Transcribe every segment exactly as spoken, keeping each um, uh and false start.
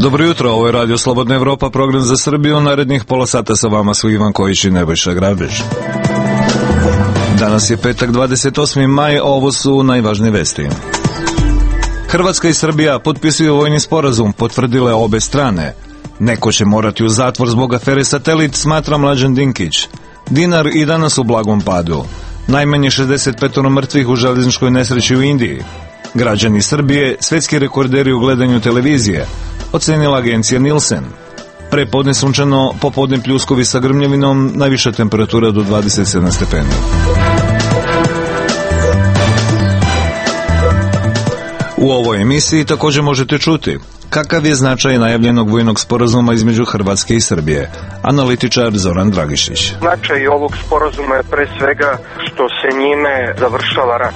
Dobro jutro, ovo je Radio Slobodna Evropa, program za Srbiju. Narednih pola sata sa vama su Ivan Kojić i Nebojša Grabež. Danas je petak, dvadeset osmi maj, ovo su najvažnije vesti. Hrvatska i Srbija potpisuju vojni sporazum, potvrdile obe strane. Neko će morati u zatvor zbog afere Satelit, smatra Mlađan Dinkić. Dinar i danas u blagom padu. Najmanje šezdeset pet mrtvih u železničkoj nesreći u Indiji. Građani Srbije, svetski rekorderi u gledanju televizije, ocenila agencija Nielsen. Prepodne sunčano, popodne pljuskovi sa grmljavinom, najviša temperatura do dvadeset sedam stepeni. U ovoj emisiji također možete čuti kakav je značaj najavljenog vojnog sporazuma između Hrvatske i Srbije. Analitičar Zoran Dragišić. Značaj ovog sporazuma je pre svega što se njime završava rat.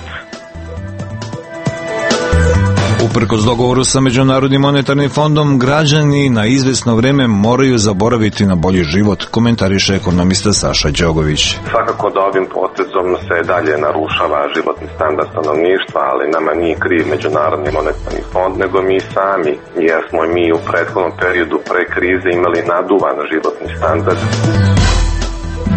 Uprkos dogovoru sa Međunarodnim monetarnim fondom, građani na izvesno vreme moraju zaboraviti na bolji život, komentariše ekonomista Saša Đogović. Svakako da ovim potezom se dalje narušava životni standard stanovništva, ali nama nije kriv Međunarodni monetarni fond, nego mi sami, jer smo mi u prethodnom periodu pre krize imali naduvan životni standard.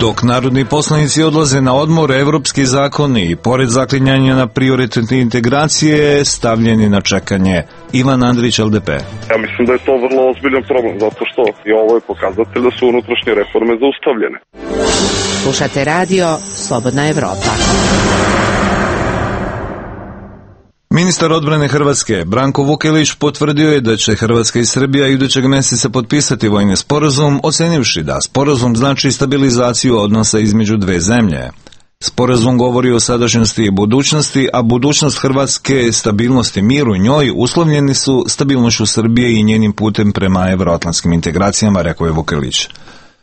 Dok narodni poslanici odlaze na odmor, evropski zakoni i pored zaklinjanja na prioritetne integracije stavljeni na čekanje. Ivan Andrić, L D P. Ja mislim da je to vrlo ozbiljan problem, zato što i ovo je pokazatelj da su unutrašnje reforme zaustavljene. Slušate radio Slobodna Evropa. Ministar odbrane Hrvatske, Branko Vukelić, potvrdio je da će Hrvatska i Srbija idućeg mjeseca potpisati vojni sporazum, ocenivši da sporazum znači stabilizaciju odnosa između dve zemlje. Sporazum govori o sadašnjosti i budućnosti, a budućnost Hrvatske, stabilnost i mir u njoj uslovljeni su stabilnošću Srbije i njenim putem prema evroatlantskim integracijama, rekao je Vukelić.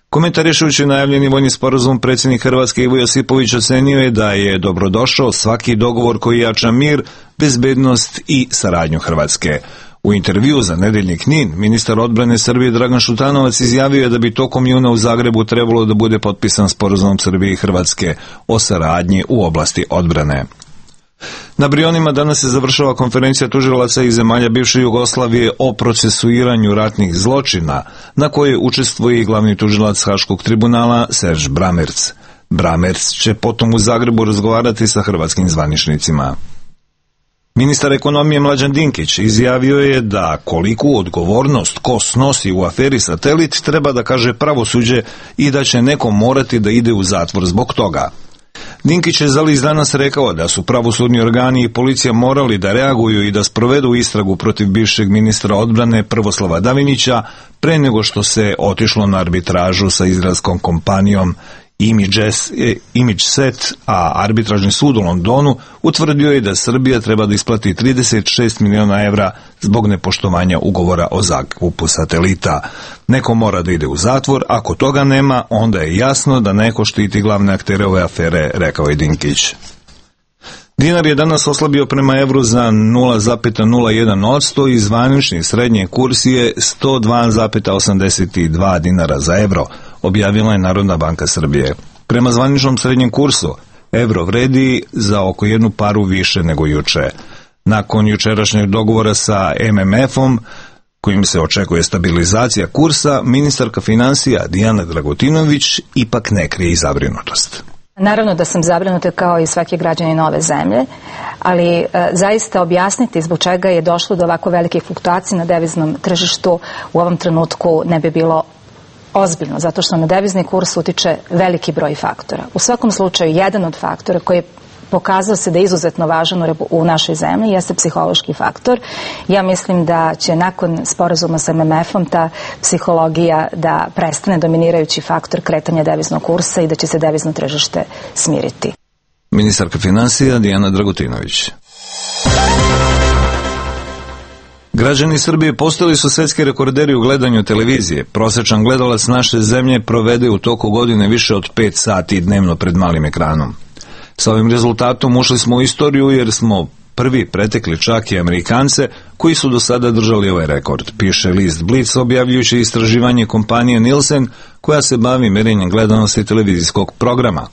Komentarišujući najavljeni vojni sporazum, predsjednik Hrvatske Ivo Josipović ocenio je da je dobrodošao svaki dogovor koji jača mir, bezbednost i saradnju Hrvatske. U intervju za Nedeljnik N I N, ministar odbrane Srbije Dragan Šutanovac izjavio je da bi tokom juna u Zagrebu trebalo da bude potpisan sporazum Srbije i Hrvatske o saradnji u oblasti odbrane. Na Brionima danas se završava konferencija tužilaca iz zemalja bivše Jugoslavije o procesuiranju ratnih zločina, na kojoj učestvuje i glavni tužilac Haškog tribunala Serž Bramerc. Bramerc će potom u Zagrebu razgovarati sa hrvatskim zvaničnicima. Ministar ekonomije Mlađan Dinkić izjavio je da koliku odgovornost ko snosi u aferi Satelit treba da kaže pravosuđe i da će neko morati da ide u zatvor zbog toga. Dinkić je za list Danas rekao da su pravosudni organi i policija morali da reaguju i da sprovedu istragu protiv bivšeg ministra odbrane Prvoslava Davinića pre nego što se otišlo na arbitražu sa izraelskom kompanijom ImageSet, a arbitražni sud u Londonu utvrdio je da Srbija treba da isplati trideset šest miliona evra zbog nepoštovanja ugovora o zakupu Satelita. Neko mora da ide u zatvor, ako toga nema, onda je jasno da neko štiti glavne aktere ove afere, rekao je Dinkić. Dinar je danas oslabio prema evru za nula zarez nula jedan posto i zvanični srednji kurs je sto dva zarez osamdeset dva dinara za evro, objavila je Narodna banka Srbije. Prema zvaničnom srednjem kursu, evro vredi za oko jednu paru više nego juče. Nakon jučerašnjeg dogovora sa M M F-om, kojim se očekuje stabilizacija kursa, ministarka financija Dijana Dragutinović ipak ne krije i zabrinutost. Naravno da sam zabrinuta kao i svaki građanin ove zemlje, ali e, zaista objasniti zbog čega je došlo do ovako velike fluktuacije na deviznom tržištu u ovom trenutku ne bi bilo ozbiljno, zato što na devizni kurs utiče veliki broj faktora. U svakom slučaju, jedan od faktora koji je pokazao se da je izuzetno važan u našoj zemlji jeste psihološki faktor. Ja mislim da će nakon sporazuma sa M M F-om ta psihologija da prestane dominirajući faktor kretanja deviznog kursa i da će se devizno tržište smiriti. Ministarka financija Dijana Dragutinović. Građani Srbije postali su svetski rekorderi u gledanju televizije. Prosječan gledalac naše zemlje provede u toku godine više od pet sati dnevno pred malim ekranom. Sa ovim rezultatom ušli smo u istoriju jer smo prvi pretekli čak i Amerikance koji su do sada držali ovaj rekord, piše list Blic objavljujući istraživanje kompanije Nielsen koja se bavi merenjem gledanosti televizijskog programa.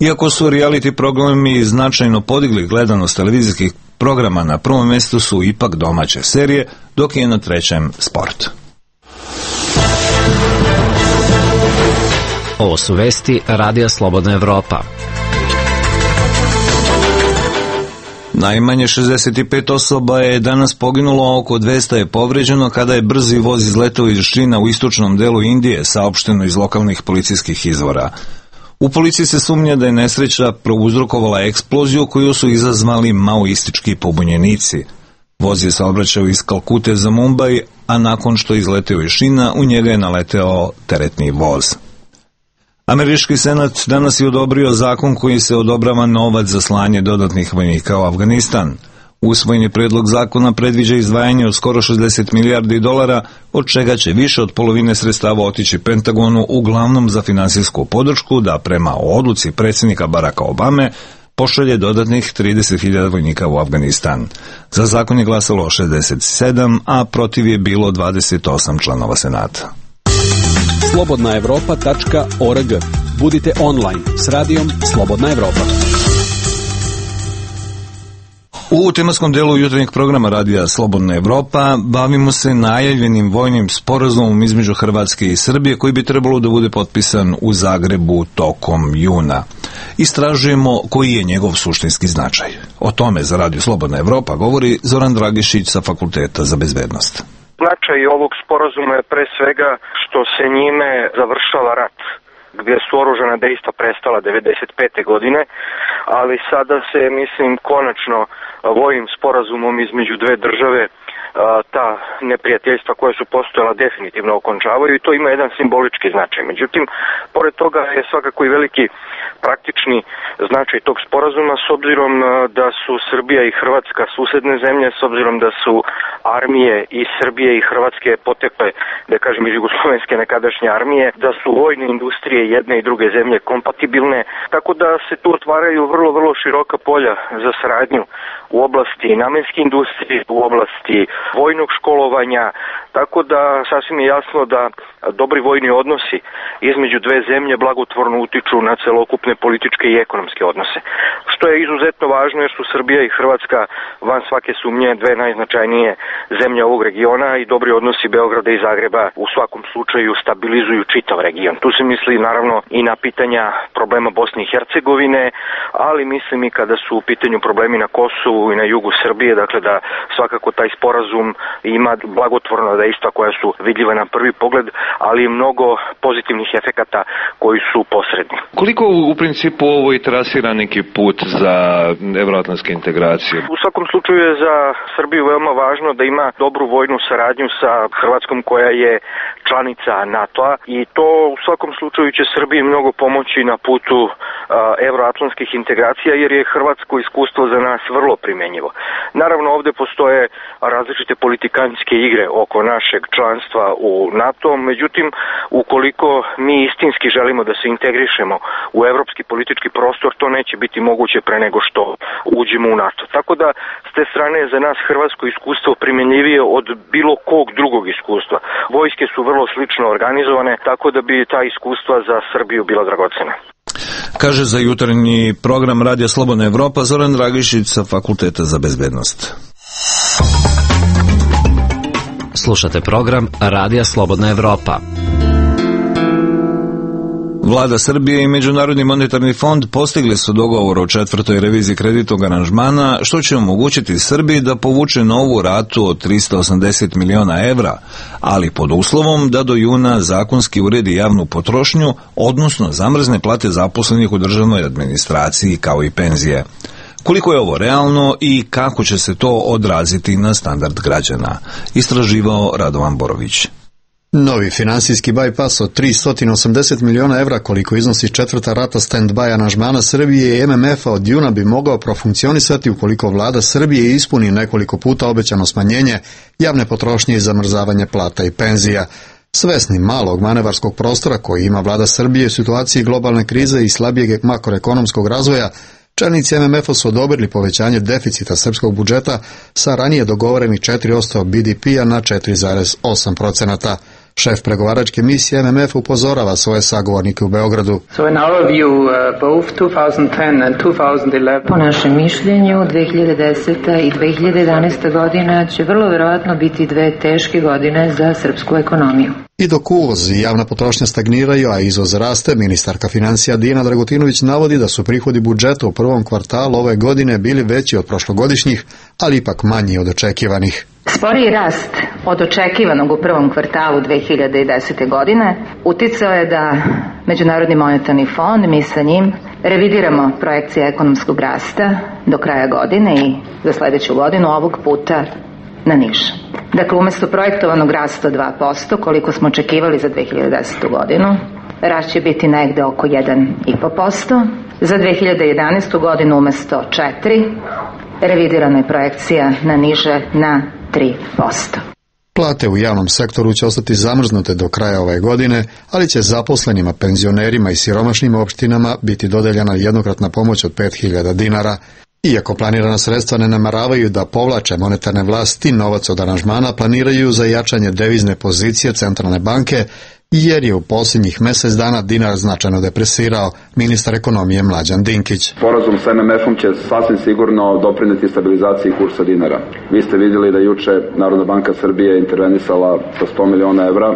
Iako su reality programi značajno podigli gledanost televizijskih programa, na prvom mjestu su ipak domaće serije, dok je na trećem sport. Ovo su vesti Radija Slobodna Evropa. Najmanje šezdeset pet osoba je danas poginulo, oko dvesta je povređeno kada je brzi voz izletao iz šina u istočnom delu Indije, saopšteno iz lokalnih policijskih izvora. U policiji se sumnja da je nesreća prouzrokovala eksploziju koju su izazvali maoistički pobunjenici. Voz je saobraćao iz Kalkute za Mumbai, a nakon što je izleteo iz šina, u njega je naleteo teretni voz. Američki senat danas je odobrio zakon koji se odobrava novac za slanje dodatnih vojnika u Afganistan. Usvojeni predlog zakona predviđa izdvajanje od skoro šezdeset milijardi dolara, od čega će više od polovine sredstava otići Pentagonu, uglavnom za finansijsku podršku da prema odluci predsjednika Baracka Obame pošalje dodatnih trideset hiljada vojnika u Afganistan. Za zakon je glasalo šezdeset sedam, a protiv je bilo dvadeset osam članova senata. slobodna evropa tačka org. Budite online s radijom Slobodna Evropa. U tematskom delu jutarnjeg programa Radija Slobodna Evropa bavimo se najavljenim vojnim sporazumom između Hrvatske i Srbije koji bi trebalo da bude potpisan u Zagrebu tokom juna. Istražujemo koji je njegov suštinski značaj. O tome za Radio Slobodna Evropa govori Zoran Dragišić sa Fakulteta za bezbednost. Značaj ovog sporazuma je pre svega što se njime završava rat, gdje su oružana dejstva prestala devedeset pete godine, ali sada se, mislim, konačno vojnim sporazumom između dve države ta neprijateljstva koja su postojala definitivno okončavaju i to ima jedan simbolički značaj. Međutim, pored toga je svakako i veliki praktični značaj tog sporazuma s obzirom da su Srbija i Hrvatska susedne zemlje, s obzirom da su armije i Srbije i Hrvatske potekle, da kažem, iz jugoslovenske nekadašnje armije, da su vojne industrije jedne i druge zemlje kompatibilne, tako da se tu otvaraju vrlo, vrlo široka polja za saradnju u oblasti namenske industrije, u oblasti vojnog školovanja, tako da sasvim je jasno da dobri vojni odnosi između dve zemlje blagotvorno utiču na celokupne političke i ekonomske odnose. Što je izuzetno važno jer su Srbija i Hrvatska van svake sumnje dve najznačajnije zemlje ovog regiona i dobri odnosi Beograda i Zagreba u svakom slučaju stabilizuju čitav region. Tu se misli naravno i na pitanja problema Bosne i Hercegovine, ali mislim i kada su u pitanju problemi na Kosovu i na jugu Srbije, dakle da svakako taj sporazum ima blagotvorna dejstva koja su vidljiva na prvi pogled, ali i mnogo pozitivnih efekata koji su posredni. Koliko u principu ovo i trasira neki put za evroatlantske integracije? U svakom slučaju je za Srbiju veoma važno da ima dobru vojnu saradnju sa Hrvatskom koja je članica NATO-a i to u svakom slučaju će Srbiji mnogo pomoći na putu uh, evroatlantskih integracija jer je hrvatsko iskustvo za nas vrlo primjenjivo. Naravno ovdje postoje različite politikanske igre oko našeg članstva u NATO, međutim ukoliko mi istinski želimo da se integrišemo u evropski politički prostor, to neće biti moguće pre nego što uđemo u NATO. Tako da s te strane je za nas hrvatsko iskustvo primjenjivije od bilo kog drugog iskustva. Vojske su vrlo slično organizovane, tako da bi ta iskustva za Srbiju bila dragocena. Kaže za jutarnji program Radija Slobodna Evropa Zoran Dragišić sa Fakulteta za bezbednost. Slušate program Radija Slobodna Evropa. Vlada Srbije i Međunarodni monetarni fond postigli su dogovor o četvrtoj reviziji kreditnog aranžmana, što će omogućiti Srbiji da povuče novu ratu od trista osamdeset miliona evra, ali pod uslovom da do juna zakonski uredi javnu potrošnju, odnosno zamrzne plate zaposlenih u državnoj administraciji kao i penzije. Koliko je ovo realno i kako će se to odraziti na standard građana? Istraživao Radovan Borović. Novi finansijski bypass od tristo osamdeset miliona evra koliko iznosi četvrta rata stand-by aranžmana Srbije i M M F-a od juna bi mogao profunkcionisati ukoliko vlada Srbije ispuni nekoliko puta obećano smanjenje javne potrošnje i zamrzavanje plata i penzija. Svesni malog manevarskog prostora koji ima vlada Srbije u situaciji globalne krize i slabijeg makroekonomskog razvoja, čelnici M M F-a su odobrili povećanje deficita srpskog budžeta sa ranije dogovorenih četiri posto B D P-a na četiri zarez osam posto. Šef pregovaračke misije M M F upozorava svoje sagovornike u Beogradu. So in our view, uh, both twenty ten and twenty eleven... Po našem mišljenju, dve hiljade deseta i dve hiljade jedanaesta godina će vrlo verovatno biti dve teške godine za srpsku ekonomiju. I dok uvoz i javna potrošnja stagniraju, a izvoz raste, ministarka financija Dijana Dragutinović navodi da su prihodi budžeta u prvom kvartalu ove godine bili veći od prošlogodišnjih, ali ipak manji od očekivanih. Sporiji rast od očekivanog u prvom kvartalu dve hiljade desete. godine uticao je da Međunarodni monetarni fond, mi sa njim, revidiramo projekcije ekonomskog rasta do kraja godine i za sledeću godinu ovog puta na niže. Dakle, umjesto projektovanog rasta dva posto, koliko smo očekivali za dve hiljade desetu. godinu, rast će biti negde oko jedan i po posto. Za dve hiljade jedanaestu. godinu umjesto četiri, revidirana je projekcija na niže na tri posto. Plate u javnom sektoru će ostati zamrznute do kraja ove godine, ali će zaposlenima, penzionerima i siromašnim opštinama biti dodeljena jednokratna pomoć od pet hiljada dinara. Iako planirana sredstva ne namaravaju da povlače monetarne vlasti, novac od aranžmana planiraju za jačanje devizne pozicije centralne banke, jer je u posljednjih mjesec dana dinar značajno depresirao, ministar ekonomije Mlađan Dinkić. Sporazum s M M F-om će sasvim sigurno doprineti stabilizaciji kursa dinara. Vi ste vidjeli da juče Narodna banka Srbije intervenisala sa sto miliona evra,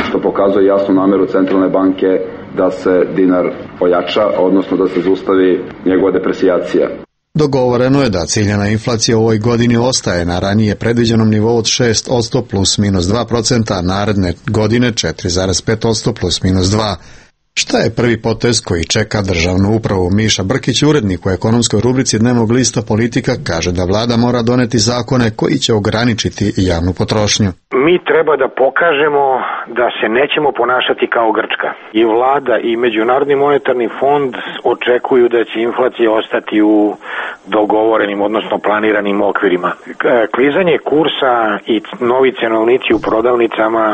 što pokazuje jasnu nameru centralne banke da se dinar ojača, odnosno da se zaustavi njegova depresijacija. Dogovoreno je da ciljana inflacija u ovoj godini ostaje na ranije predviđenom nivou od šest posto plus minus dva procenta, a naredne godine četiri zarez pet posto plus minus dva. Šta je prvi potez koji čeka državnu upravu? Miša Brkić, urednik u ekonomskoj rubrici Dnevnog lista Politika, kaže da vlada mora doneti zakone koji će ograničiti javnu potrošnju. Mi treba da pokažemo da se nećemo ponašati kao Grčka. I vlada i Međunarodni monetarni fond očekuju da će inflacija ostati u dogovorenim, odnosno planiranim okvirima. Klizanje kursa i novi cenovnici u prodavnicama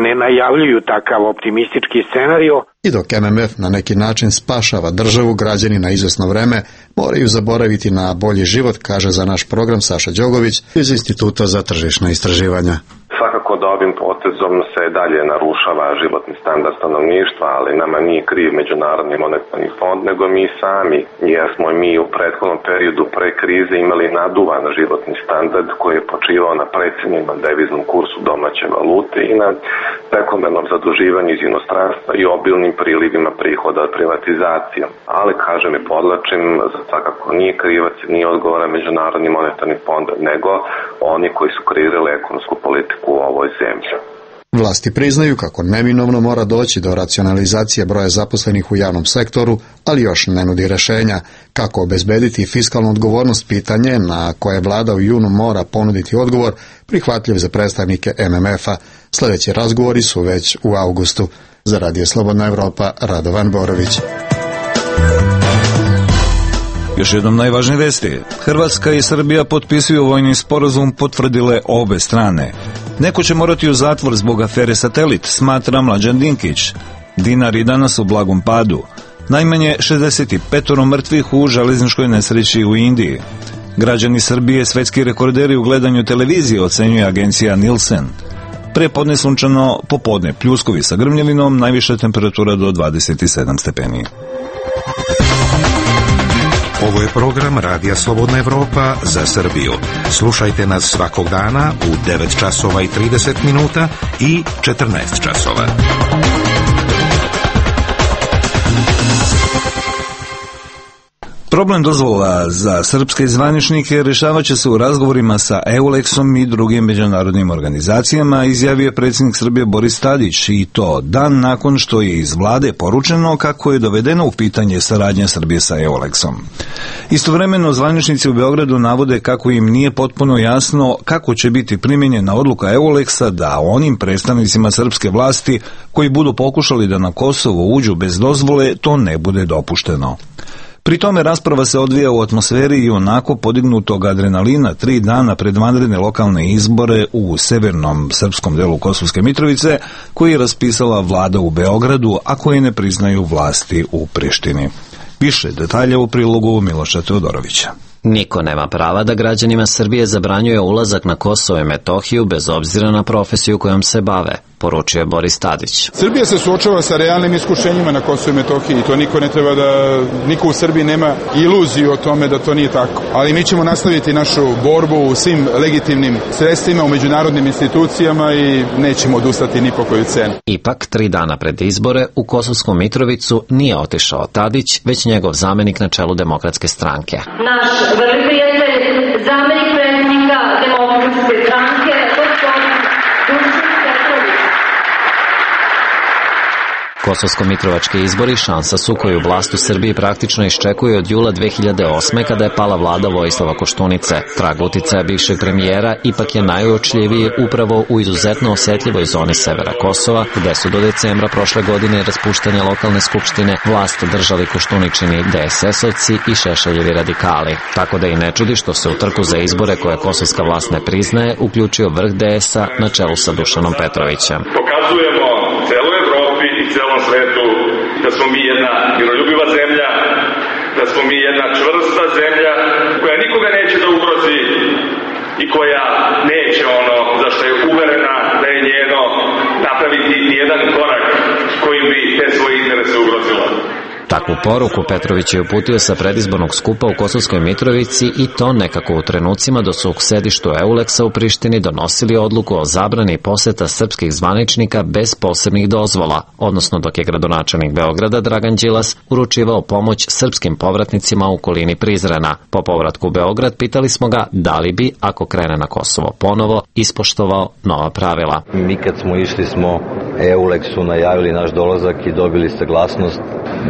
ne najavljuju takav optimistički scenario. I dok M M F na neki način spašava državu, građani na izvesno vreme moraju zaboraviti na bolji život, kaže za naš program Saša Đogović iz Instituta za tržišna istraživanja. Svakako da ovim potezom se dalje narušava životni standard stanovništva, ali nama nije kriv Međunarodni monetarni fond, nego mi sami, jer smo mi u prethodnom periodu pre krize imali naduvan životni standard koji je počivao na precenjenom deviznom kursu domaće valute i na prekomernom zaduživanju iz inostranstva i obilnim prilivima prihoda od privatizacije. Ali, kažem i podlačim, za svakako nije krivac, nije odgovoran Međunarodni monetarni fond, nego oni koji su kreirali ekonomsku politiku u ovoj zemlji. Vlasti priznaju kako neminovno mora doći do racionalizacije broja zaposlenih u javnom sektoru, ali još ne nudi rešenja. Kako obezbediti fiskalnu odgovornost, pitanje na koje vlada u junu mora ponuditi odgovor, prihvatljiv za predstavnike M M F-a. Sljedeći razgovori su već u avgustu. Za Radio Slobodna Evropa, Radovan Borović. Još jednom najvažnije vesti. Hrvatska i Srbija potpisuju vojni sporazum, potvrdile obe strane. Neko će morati u zatvor zbog afere Satelit, smatra Mlađan Dinkić. Dinar i danas u blagom padu. Najmanje šezdeset pet mrtvih u železničkoj nesreći u Indiji. Građani Srbije svetski rekorderi u gledanju televizije, ocenjuje agencija Nielsen. Prepodne sunčano, popodne pljuskovi sa grmljavinom, najviša temperatura do dvadeset sedam stepeni. Ovo je program Radija Slobodna Evropa za Srbiju. Slušajte nas svakog dana u devet časova i trideset minuta i četrnaest časova. Problem dozvola za srpske zvaničnike rešavat će se u razgovorima sa Eulexom i drugim međunarodnim organizacijama, izjavio predsjednik Srbije Boris Tadić, i to dan nakon što je iz vlade poručeno kako je dovedeno u pitanje saradnja Srbije sa Eulexom. Istovremeno zvaničnici u Beogradu navode kako im nije potpuno jasno kako će biti primjenjena odluka Eulexa da onim predstavnicima srpske vlasti koji budu pokušali da na Kosovo uđu bez dozvole to ne bude dopušteno. Pri tome rasprava se odvija u atmosferi i onako podignutog adrenalina tri dana pred vanredne lokalne izbore u severnom srpskom delu Kosovske Mitrovice, koji je raspisala vlada u Beogradu, a koji ne priznaju vlasti u Prištini. Više detalja u prilogu Miloša Teodorovića. Niko nema prava da građanima Srbije zabranjuje ulazak na Kosovo i Metohiju bez obzira na profesiju kojom se bave. poručio je Boris Tadić. Srbija se suočava sa realnim iskušenjima na Kosovu i Metohiji i to niko ne treba da, niko u Srbiji nema iluziju o tome da to nije tako. Ali mi ćemo nastaviti našu borbu u svim legitimnim sredstvima, u međunarodnim institucijama i nećemo odustati ni po koju cenu. Ipak, tri dana pred izbore u Kosovsku Mitrovicu nije otišao Tadić, već njegov zamenik na čelu Demokratske stranke. Naš vrli prijatelj, zamenik predsjednika Demokratske stranke, gospodin Dušan Petrović. Kosovsko-mitrovački izbori šansa su koju vlast u Srbiji praktično iščekuje od jula dve hiljade osme kada je pala vlada Vojislava Koštunice. Trag uticaja bivšeg premijera ipak je najuočljiviji upravo u izuzetno osjetljivoj zoni severa Kosova, gde su do decembra prošle godine raspuštanja lokalne skupštine vlast držali Koštuničini de es es-ovci i Šešeljevi radikali. Tako da i ne čudi što se u trku za izbore koje kosovska vlast ne priznaje uključio vrh de es-a na čelu sa Dušanom Petrovićem. Pokazujemo celoj Evropi i celom svetu da smo mi jedna miroljubiva zemlja, da smo mi jedna čvrsta zemlja koja nikoga neće da ugrozi i koja neće ono za što je uverena da je njeno napraviti nijedan korak kojim bi te svoje interese ugrozila. Takvu poruku Petrović je uputio sa predizbornog skupa u Kosovskoj Mitrovici i to nekako u trenucima dok su u sedištu Euleksa u Prištini donosili odluku o zabrani poseta srpskih zvaničnika bez posebnih dozvola, odnosno dok je gradonačelnik Beograda Dragan Đilas uručivao pomoć srpskim povratnicima u okolini Prizrena. Po povratku u Beograd pitali smo ga da li bi, ako krene na Kosovo ponovo, ispoštovao nova pravila. Mi kad smo išli smo Euleksu najavili naš dolazak i dobili saglasnost.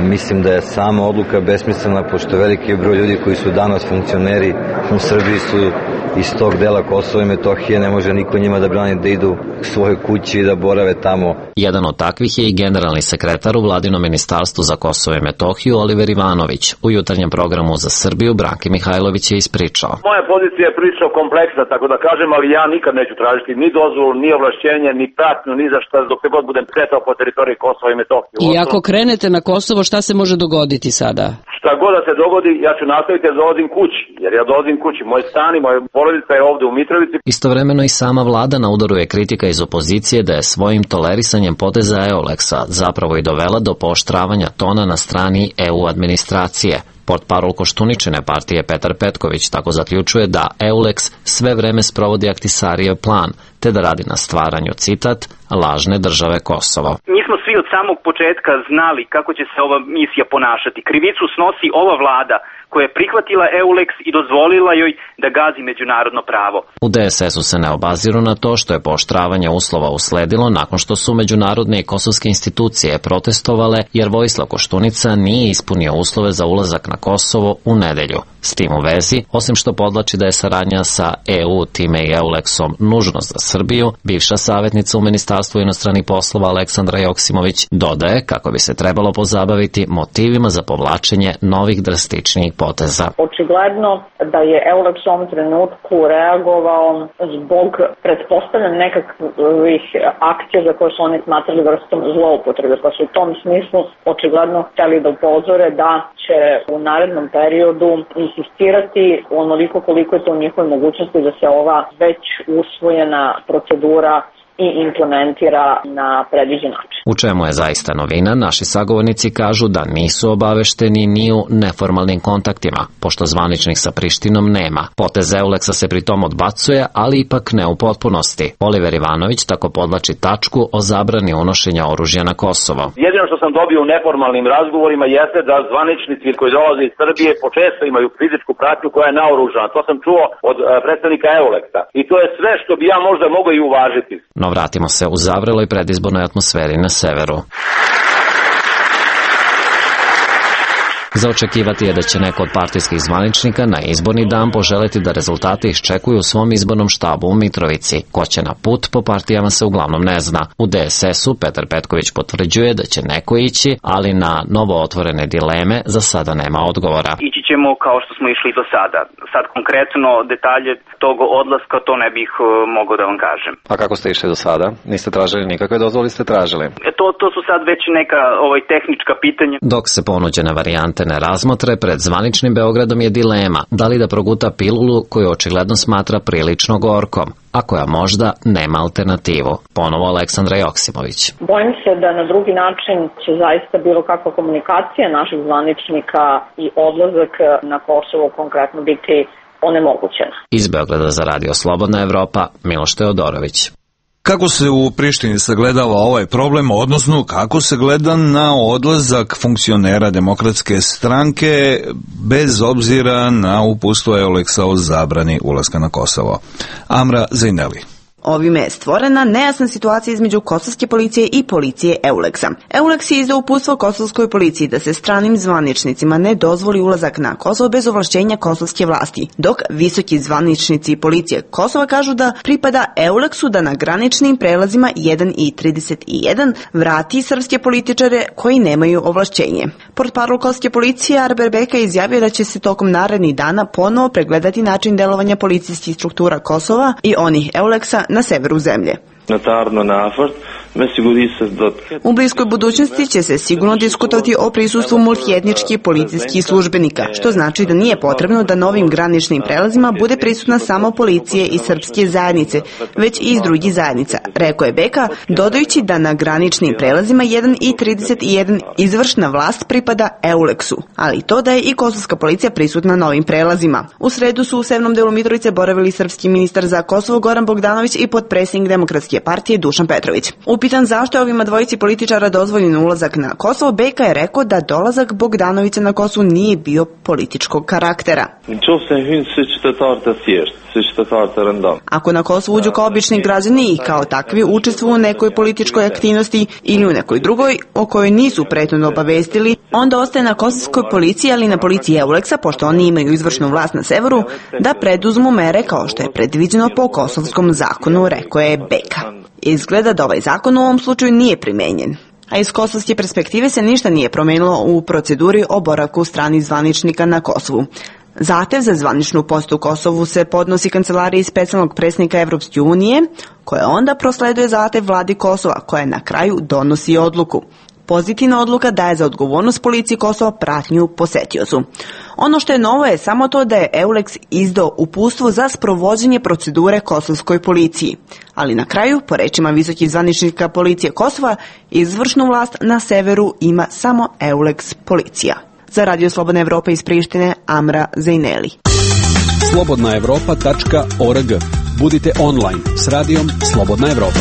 Mislim da je sama odluka besmislena, pošto veliki broj ljudi koji su danas funkcioneri u Srbiji su iz tog dela Kosova i Metohije, ne može niko njima da brani da idu k svojoj kući i da borave tamo. Jedan od takvih je i generalni sekretar u Vladinom ministarstvu za Kosovo i Metohiju Oliver Ivanović. U jutarnjem programu za Srbiju Branki Mihajlović je ispričao. Moja pozicija je prilično kompleksna, tako da kažem, ali ja nikad neću tražiti ni dozvolu, ni ovlašćenje, ni pratnju, ni za šta dok se god budem kretao po teritoriji Kosova i Metohije. I ako krenete na Kosovo, šta se može dogoditi sada? Šta god da se dogodi, ja ću nastaviti da dolazim kući, jer ja dolazim kući. Moj stan i moja porodica je ovde u Mitrovici. Istovremeno i sama vlada na udaru je kritika iz opozicije da je svojim tolerisanjem poteza Euleksa zapravo i dovela do pooštravanja tona na strani E U administracije. Portparol Koštuničine partije Petar Petković tako zaključuje da Euleks sve vreme sprovodi Ahtisarijev plan, te da radi na stvaranju, citat, lažne države Kosovo. Mi smo svi od samog početka znali kako će se ova misija ponašati. Krivicu snosi ova vlada koja je prihvatila Euleks i dozvolila joj da gazi međunarodno pravo. U de es es-u se ne obaziru na to što je pooštravanje uslova usledilo nakon što su međunarodne i kosovske institucije protestovale jer Vojislav Koštunica nije ispunio uslove za ulazak na Kosovo u nedelju. S tim u vezi, osim što podlači da je saradnja sa E U, time i Euleksom nužnost za Srbiju, bivša savjetnica u Ministarstvu inostranih poslova Aleksandra Joksimović dodaje kako bi se trebalo pozabaviti motivima za povlačenje novih drastičnijih poteza. Očigledno da je Euleks u ovom trenutku reagovao zbog pretpostavljanja nekakvih akcija za koje su oni smatrali vrstom zloupotrebe, pa su u tom smislu očigledno hteli da upozore da će u narednom periodu insistirati onoliko koliko je to u njihovoj mogućnosti da se ova već usvojena procedura i implementira na predviđen način. U čemu je zaista novina, naši sagovornici kažu da nisu obavešteni ni u neformalnim kontaktima, pošto zvaničnih sa Prištinom nema. Potez Euleksa se pritom odbacuje, ali ipak ne u potpunosti. Oliver Ivanović tako podlači tačku o zabrani unošenja oružja na Kosovo. Jedino što sam dobio u neformalnim razgovorima jeste da zvaničnici koji dolaze iz Srbije počesto imaju fizičku pratnju koja je naoružana. To sam čuo od predstavnika Euleksa. I to je sve što bi ja možda mogao i uvažiti. No vratimo se u zavreloj predizbornoj atmosferi na severu. Za očekivati je da će neko od partijskih zvaničnika na izborni dan poželeti da rezultate iščekuju u svom izbornom štabu u Mitrovici. Ko će na put po partijama se uglavnom ne zna. U de es es-u Petar Petković potvrđuje da će neko ići, ali na novo otvorene dileme za sada nema odgovora. Ići ćemo kao što smo išli do sada. Sad konkretno detalje tog odlaska to ne bih uh, mogao da vam kažem. A kako ste išli do sada? Niste tražili nikakve dozvole, ste tražili? E, to, to su sad već neka ovaj, tehnička pitanja. Dok se ponuđene varijante ne razmotre, pred zvaničnim Beogradom je dilema da li da proguta pilulu koju očigledno smatra prilično gorkom, a koja možda nema alternativu. Ponovo Aleksandra Joksimović. Bojim se da na drugi način će zaista bilo kakva komunikacija naših zvaničnika i odlazak na Kosovo konkretno biti onemogućena. Iz Beograda za Radio Slobodna Evropa, Miloš Teodorović. Kako se u Prištini sagledava ovaj problem, odnosno kako se gleda na odlazak funkcionera Demokratske stranke bez obzira na uputstvo Euleksa o zabrani ulaska na Kosovo? Amra Zajneli. Ovime je stvorena nejasna situacija između kosovske policije i policije Euleksa. Euleks je izdao uputstvo kosovskoj policiji da se stranim zvaničnicima ne dozvoli ulazak na Kosovo bez ovlašćenja kosovske vlasti, dok visoki zvaničnici policije Kosova kažu da pripada Euleksu da na graničnim prelazima jedan i trideset jedan vrati srpske političare koji nemaju ovlašćenje. Portparol kosovske policije Arber Beka izjavio da će se tokom narednih dana ponovo pregledati način delovanja policijskih struktura Kosova i onih Euleksa na severu zemlje. U bliskoj budućnosti će se sigurno diskutovati o prisustvu multietničkih policijskih službenika, što znači da nije potrebno da novim graničnim prelazima bude prisutna samo policije i srpske zajednice, već i iz drugih zajednica, rekao je Beka, dodajući da na graničnim prelazima jedan i trideset jedan izvršna vlast pripada Euleksu, ali to da je i kosovska policija prisutna na ovim prelazima. U sredu su u severnom delu Mitrovice boravili srpski ministar za Kosovo Goran Bogdanović i potpredsjednik Demokratske partije Dušan Petrović. Upitan zašto je ovima dvojici političara dozvoljen ulazak na Kosovo, Beka je rekao da dolazak Bogdanovića na Kosovo nije bio političkog karaktera. Ako na Kosovo uđu kao obični građani i kao takvi učestvuju u nekoj političkoj aktivnosti ili u nekoj drugoj o kojoj nisu prethodno obavestili, onda ostaje na kosovskoj policiji, ali na policiji Euleksa, pošto oni imaju izvršnu vlast na severu, da preduzmu mere kao što je predviđeno po kosovskom zakonu, rekao je Beka. Izgleda da ovaj zakon u ovom slučaju nije primenjen. A iz kosovske perspektive se ništa nije promenilo u proceduri o boravku stranih zvaničnika na Kosovu. Zahtev za zvaničnu postu u Kosovu se podnosi kancelariji specijalnog predsjednika Evropske unije, koja onda prosleduje zahtev vladi Kosova, koja na kraju donosi odluku. Pozitivna odluka daje za odgovornost policiji Kosova pratnju posetiocu. Ono što je novo je samo to da je Euleks izdao uputstvo za sprovođenje procedure kosovskoj policiji. Ali na kraju, po rečima visokih zvaničnika policije Kosova, izvršnu vlast na severu ima samo Euleks policija. Za Radio Slobodna Evropa iz Prištine, Amra Zajneli. slobodna evropa tačka org. Budite online s radijom Slobodna Evropa.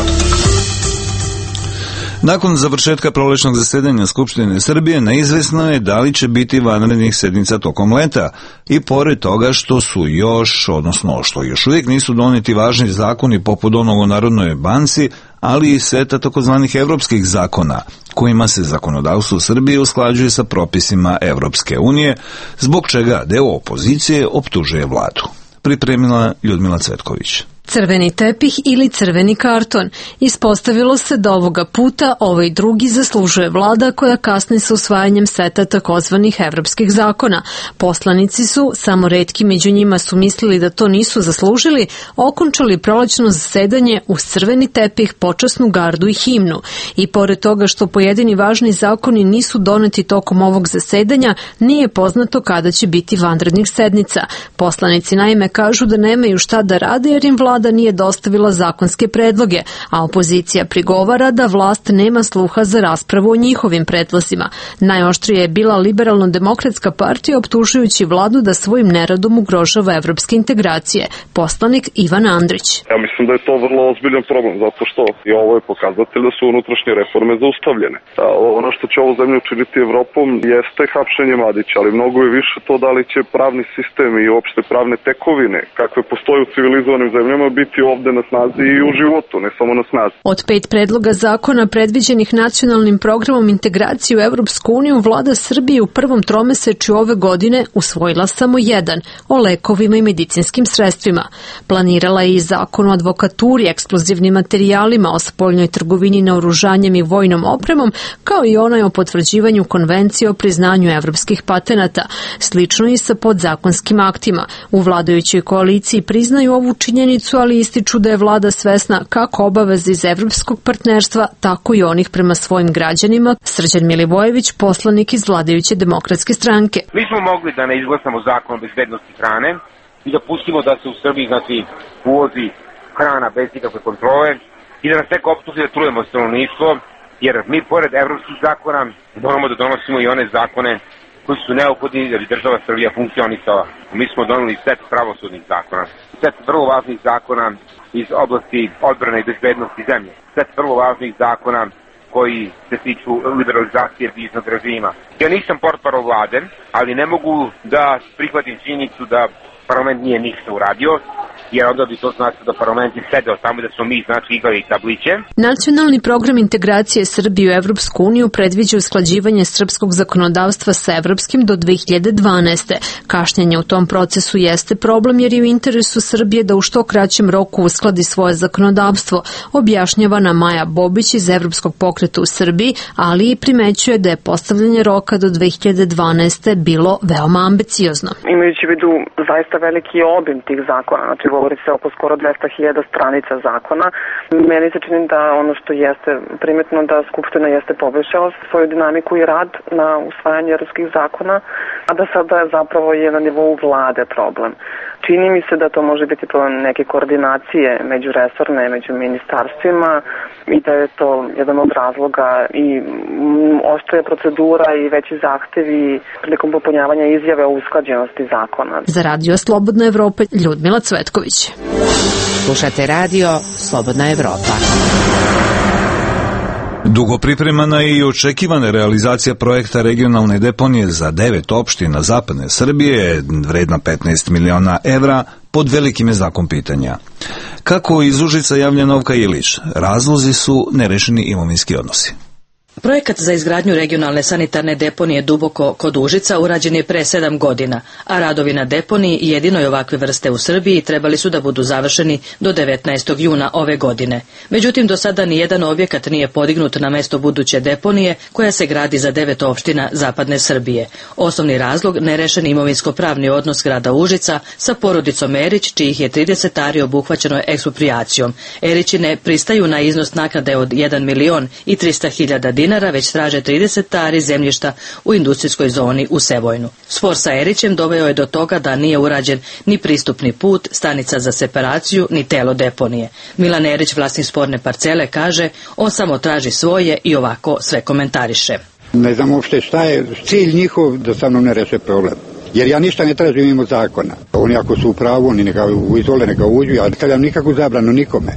Nakon završetka prolećnog zasedanja Skupštine Srbije neizvesno je da li će biti vanrednih sednica tokom leta i pored toga što su još, odnosno što još uvijek nisu doneti važni zakoni poput onog o Narodnoj banci, ali i seta takozvanih evropskih zakona, kojima se zakonodavstvo Srbije usklađuje sa propisima Evropske unije, zbog čega deo opozicije optužuje vladu. Pripremila Ljudmila Cvetković. Crveni tepih ili crveni karton. Ispostavilo se da ovoga puta ovaj drugi zaslužuje vlada koja kasni sa usvajanjem seta takozvanih evropskih zakona. Poslanici su, samo retki među njima su mislili da to nisu zaslužili, okončali prolećno zasedanje uz crveni tepih, počasnu gardu i himnu. I pored toga što pojedini važni zakoni nisu doneti tokom ovog zasedanja, nije poznato kada će biti vanrednih sednica. Poslanici naime kažu da nemaju šta da rade jer im vlada Vlada nije dostavila zakonske predloge, a opozicija prigovara da vlast nema sluha za raspravu o njihovim predlozima. Najoštrije je bila Liberalno-demokratska partija optužujući vladu da svojim neradom ugrožava evropske integracije. Poslanik Ivan Andrić. Ja mislim da je to vrlo ozbiljan problem, zato što i ovo je pokazatelj da su unutrašnje reforme zaustavljene. A ono što će ovu zemlju učiniti Evropom jeste hapšenje Mladića, ali mnogo je više to da li će pravni sistem i uopšte pravne tekovine, kakve postoje u civilizovanim zemljama, biti ovde na snazi i u životu, ne samo na snazi. Od pet predloga zakona predviđenih nacionalnim programom integracije u Evropsku uniju, vlada Srbije u prvom tromesečju ove godine usvojila samo jedan, o lekovima i medicinskim sredstvima. Planirala je i zakon o advokaturi, eksplozivnim materijalima, o spoljnoj trgovini naoružanjem i vojnom opremom, kao i onaj o potvrđivanju konvencije o priznanju evropskih patenata. Slično i sa podzakonskim aktima. U vladajućoj koaliciji priznaju ovu činjenicu, konfliktu, ali ističu da je vlada svesna kako obaveze iz evropskog partnerstva, tako i onih prema svojim građanima. Srđan Milivojević, poslanik iz vladajuće demokratske stranke. Mi smo mogli da ne izglasamo zakon o bezbednosti hrane i da pustimo da se u Srbiji znači, uvozi hrana bez ikakve kontrole i da nas neko optuži da trujemo stanovništvo, jer mi pored evropskih zakona moramo da donosimo i one zakone koji su neophodni da bi država Srbija funkcionisala. Mi smo doneli set pravosudnih zakona, set vrlo važnih zakona iz oblasti odbrane i bezbednosti zemlje, set vrlo važnih zakona koji se tiču liberalizacije viznog režima. Ja nisam portparol vlade, ali ne mogu da prihvatim činjenicu da parlament nije ništa uradio, jer onda bi to znači da parlament je sedeo tamo da smo mi znači igrali tabliće. Nacionalni program integracije Srbije u Evropsku uniju predviđa usklađivanje srpskog zakonodavstva sa evropskim do dve hiljade dvanaeste. Kašnjenje u tom procesu jeste problem jer je u interesu Srbije da u što kraćem roku uskladi svoje zakonodavstvo, objašnjava na Maja Bobić iz Evropskog pokreta u Srbiji, ali i primećuje da je postavljanje roka do dve hiljade dvanaeste bilo veoma ambiciozno. Imajući u vidu zaista veliki obim tih zakona, znači govori se oko skoro dvesta hiljada stranica zakona. Meni se čini da ono što jeste primetno da Skupština jeste poboljšala svoju dinamiku i rad na usvajanje evropskih zakona, a da sada zapravo je na nivou vlade problem. Čini mi se da to može biti problem neke koordinacije međuresorne, među ministarstvima i da je to jedan od razloga i oštrija procedura i veći zahtevi prilikom popunjavanja izjave o usklađenosti zakona. Za Radio Slobodna Evropa, Ljudmila Cvetković. Slušate Radio Slobodna Evropa. Dugo pripremana i očekivana realizacija projekta regionalne deponije za devet opština zapadne Srbije, vredna petnaest miliona evra, pod velikim je znakom pitanja. Kako iz Užica javlja Novka Ilić, razlozi su nerešeni imovinski odnosi. Projekat za izgradnju regionalne sanitarne deponije Duboko kod Užica urađen je pre sedam godina, a radovi na deponiji jedinoj ovakve vrste u Srbiji trebali su da budu završeni do devetnaestog juna ove godine. Međutim, do sada nijedan objekat nije podignut na mesto buduće deponije koja se gradi za devet opština zapadne Srbije. Osnovni razlog nerešen imovinsko-pravni odnos grada Užica sa porodicom Erić, čijih je trideset ari obuhvaćeno eksproprijacijom. Erići ne pristaju na iznos naknade od jedan milion i trista hiljada dinara, već traže trideset ari zemljišta u industrijskoj zoni u Sevojnu. Spor sa Erićem doveo je do toga da nije urađen ni pristupni put, stanica za separaciju, ni telo deponije. Milan Erić, vlasnik sporne parcele, kaže on samo traži svoje i ovako sve komentariše. Ne znam uopšte šta je cilj njihov da sa mnom ne reše problem. Jer ja ništa ne tražim mimo zakona. Oni ako su u pravu, oni neka izvole, neka uđu, ja ne stavljam nikakvu zabranu nikome.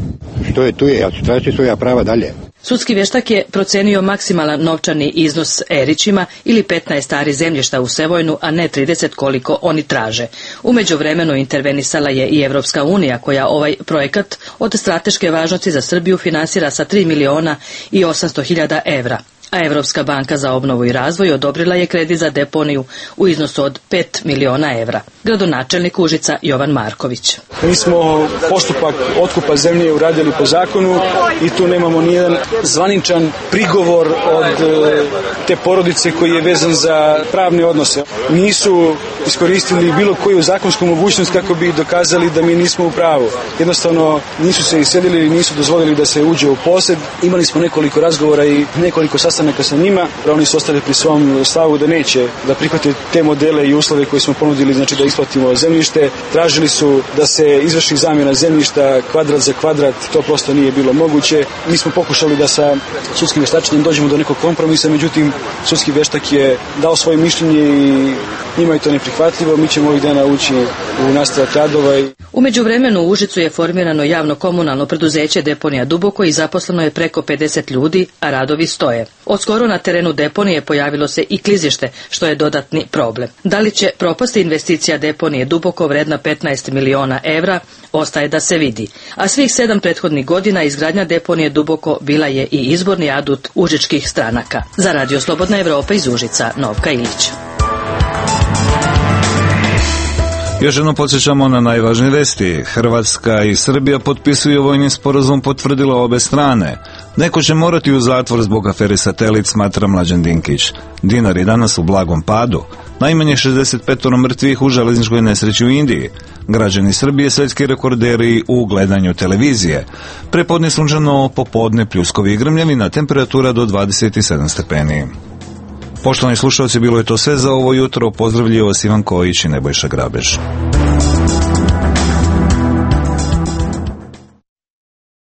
Što je tu je, ja ću tražiti svoja prava dalje. Sudski vještak je procenio maksimalan novčani iznos Erićima ili petnaest ari zemljišta u Sevojnu, a ne trideset koliko oni traže. U međuvremenu intervenisala je i Evropska unija koja ovaj projekat od strateške važnosti za Srbiju finansira sa tri miliona i osamsto hiljada evra. A Evropska banka za obnovu i razvoj odobrila je kredit za deponiju u iznosu od pet miliona evra. Gradonačelnik Užica Jovan Marković. Mi smo postupak otkupa zemlje uradili po zakonu i tu nemamo nijedan zvaničan prigovor od te porodice koji je vezan za pravne odnose. Nisu iskoristili bilo koju zakonsku mogućnost kako bi dokazali da mi nismo u pravu. Jednostavno nisu se iselili i nisu dozvolili da se uđe u posed. Imali smo nekoliko razgovora i nekoliko sastanaka sa njima. Oni su ostali pri svom stavu da neće da prihvate te modele i uslove koje smo ponudili, znači da isplatimo zemljište. Tražili su da se izvrši zamjena zemljišta kvadrat za kvadrat, to prosto nije bilo moguće. Mi smo pokušali da sa sudskim vještačenjem dođemo do nekog kompromisa, međutim sudski vještak je dao svoje mišljenje i njima je to neprihvatljivo. Mi ćemo ovih dana ući u nastavak radova. U međuvremenu u Užicu je formirano javno komunalno preduzeće Deponija Duboko i zaposleno je preko pedeset ljudi, a radovi stoje. Od skoro na terenu deponije pojavilo se i klizište, što je dodatni problem. Da li će propasti investicija deponije Duboko vredna petnaest miliona evra, ostaje da se vidi. A svih sedam prethodnih godina izgradnja deponije Duboko bila je i izborni adut užičkih stranaka. Za Radio Slobodna Evropa iz Užica, Novka Ilić. Još jednom podsjećamo na najvažnije vesti. Hrvatska i Srbija potpisuju vojni sporazum, potvrdila obe strane. Neko će morati u zatvor zbog afere Satelit, smatra Mlađan Dinkić. Dinar je danas u blagom padu. Najmanje šezdeset pet mrtvih u železničkoj nesreći u Indiji. Građani Srbije svjetski rekorderi u gledanju televizije. Prepodne sunčano, popodne pljuskovi i grmljavina, temperatura do dvadeset sedam stepeni. Poštovani slušalci, bilo je to sve za ovo jutro. Pozdravljaju vas Ivan Kojić i Nebojša Grabež.